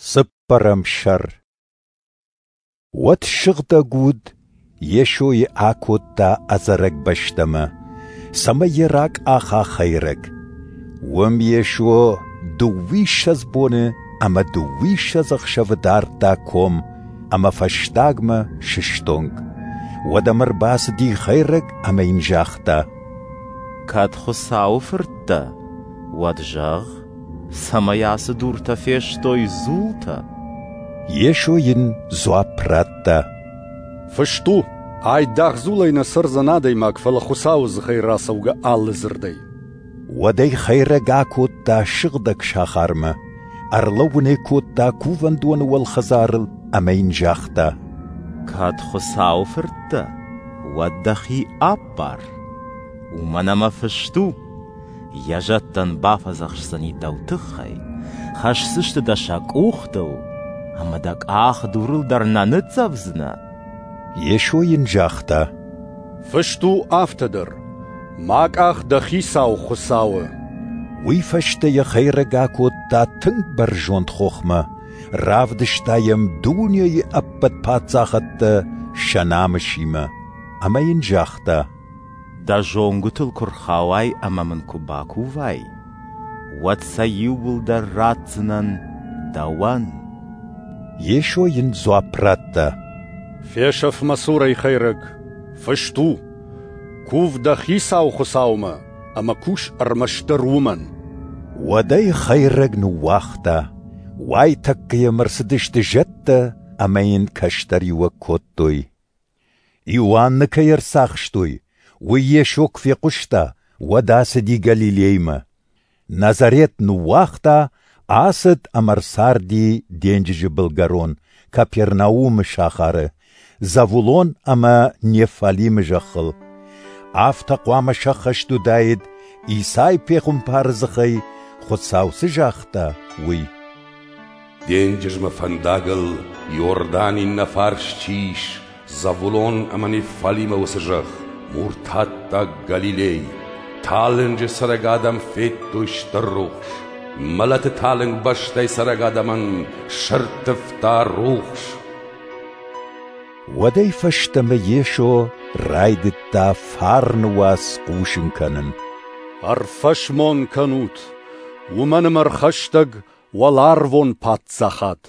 Цыппӕрӕм сӕр. Уӕд Сыгъдӕг Уд Йесойы акодта ӕдзӕрӕг бӕстӕмӕ, цӕмӕй йӕ ракъаха хӕйрӕг. Уым Йесо дыууиссӕдз боны ӕмӕ дыууиссӕдз ӕхсӕвы дардта ком ӕмӕ фӕстагмӕ сыстонг. Уӕд ӕм ӕрбацыди хӕйрӕг ӕмӕ йын загъта: Кӕд Хуыцауы фырт дӕ, уӕд зӕгъ, цӕмӕй ацы дуртӕ фестой дзултӕ. Йесо йын дзуапп радта: Фыст у, айдагъ дзулӕй нӕ цӕрдзӕн адӕймаг, фӕлӕ Хуыцауы дзыхӕй рацӕугӕ алы дзырдӕй. Уӕд ӕй хӕйрӕг акодта сыгъдӕг сахармӕ, ӕрлӕууын ӕй кодта кувӕндоны уӕлхӕдзарыл ӕмӕ йын загъта: Кӕд Хуыцауы фырт дӕ, уӕд дӕхи аппар. Уымӕн ӕмӕ фыст у: Йӕ зӕдтӕн бафӕдзӕхсдзӕни дӕу тыххӕй, хӕсдзысты дӕ сӕ къухтыл, ӕмӕ дӕ къах дурыл дӕр нӕ ныццӕвдзынӕ. Йесо йын загъта: Фыст у афтӕ дӕр: Ма къах дӕ Хицау Хуыцауы. Уый фӕстӕ йӕ хӕйрӕг акодта тынг бӕрзонд хохмӕ, равдыста йӕм дунейы ӕппӕт паддзахӕдтӕ сӕ намысимӕ, ӕмӕ йын загъта: Дӕ зонгуытыл куы рхауай ӕмӕ мын куы бакувай, уӕд сӕ иууылдӕр ратдзынӕн дӕуӕн. Йесо йын дзуапп радта: Фесӕф мӕ цурӕй, хӕйрӕг! Фыст у: Кув дӕ Хицау Хуыцаумӕ ӕмӕ кус ӕрмӕстдӕр уымӕн. Уӕд ӕй хӕйрӕг ныууагъта, уайтӕккӕ йӕм ӕрцыдысты зӕдтӕ ӕмӕ йын кӕстӕриуӕг кодтой. Иоанны кӕй ӕрцахстой, уый Йесо куы фехъуыста, уӕд ацыди Галилеймӕ. Назарет ныууагъта, ацыд ӕмӕ ӕрцарди денджызы былгӕрон, Капернаумы сахары, Завулон ӕмӕ Неффалимы зӕххыл. Афтӕ хъуамӕ сӕххӕст уыдаид, Исай пехуымпары дзыхӕй Хуыцау цы загъта, уый. Денджызмӕ фӕндагыл Иорданы иннӕ фарс чи ис, Завулон ӕмӕ Неффалимы уыцы зӕхх, муртаттаг Галилей, талынджы цӕрӕг адӕм федтой стыр рухс, мӕлӕты талынг бӕстӕй цӕрӕг адӕмӕн сӕрттывта рухс. Уӕдӕй фӕстӕмӕ Йесо райдыдта фарны уац хъусын кӕнын. Ӕрфӕсмон кӕнут, уымӕн ӕмӕ ӕрхӕстӕг уӕларвон паддзахад.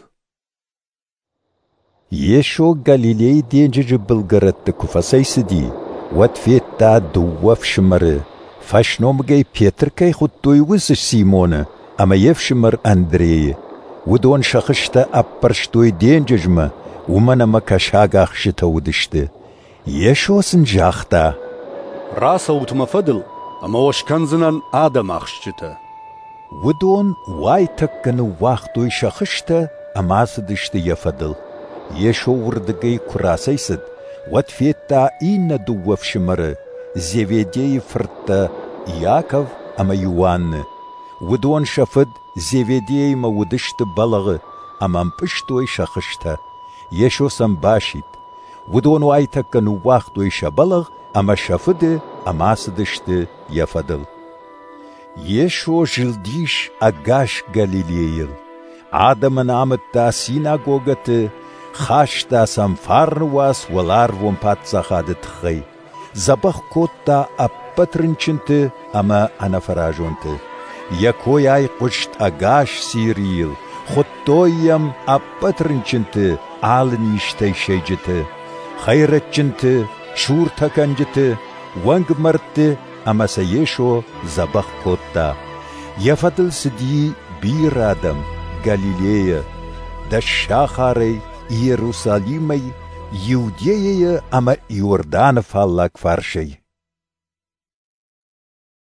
Йесо Галилейы денджызы былгӕрӕтты куы фӕцӕйцыди, уӕд федта дыууӕ фсымӕры, фӕсномыгӕй Петр кӕй хуыдтой, уыцы Симоны ӕмӕ йе фсымӕр Андрейы. Уыдон сӕ хызтӕ ӕппӕрстой денджызмӕ, уымӕн ӕмӕ кӕсагахсджытӕ уыдысты. Йесо сын загъта: Рацӕут мӕ фӕдыл, ӕмӕ уӕ скӕндзынӕн адӕмахсджытӕ. Уыдон уайтӕккӕ ныууагътой сӕ хызтӕ ӕмӕ ацыдысты йӕ фӕдыл. Йесо уырдыгӕй куы рацӕйцыд, уӕд федта иннӕ дыууӕ фсымӕры, Зеведейы фырттӕ Иаков ӕмӕ Иоанны. Уыдон сӕ фыд Зеведеимӕ уыдысты бӕлӕгъы ӕмӕ ӕмпъызтой сӕ хызтӕ. Йесо сӕм басидт. Уыдон уайтӕккӕ ныууагътой сӕ бӕлӕгъ ӕмӕ сӕ фыды ӕмӕ ацыдысты йӕ фӕдыл. Йесо зылдис ӕгас Галилейыл. Адӕмӕн амыдта синагогӕты, хаста сӕм фарны уац уӕларвон паддзахады тыххӕй, дзӕбӕх кодта ӕппӕт рынчынты ӕмӕ ӕнӕфӕразонты. Йӕ кой айхъуыст ӕгас Сирийыл, хуыдтой йӕм ӕппӕт рынчынты, алы низтӕй сӕйджыты, хӕйрӕджджынты, суртӕкӕнджыты, уӕнгмӕрдты ӕмӕ сӕ Йесо дзӕбӕх кодта. Йӕ фӕдыл цыди бирӕ адӕм Галилейӕ, Дӕссахарӕй, Иерусалимӕй, Иудейӕйӕ ӕмӕ Иорданы фаллаг фарсӕй.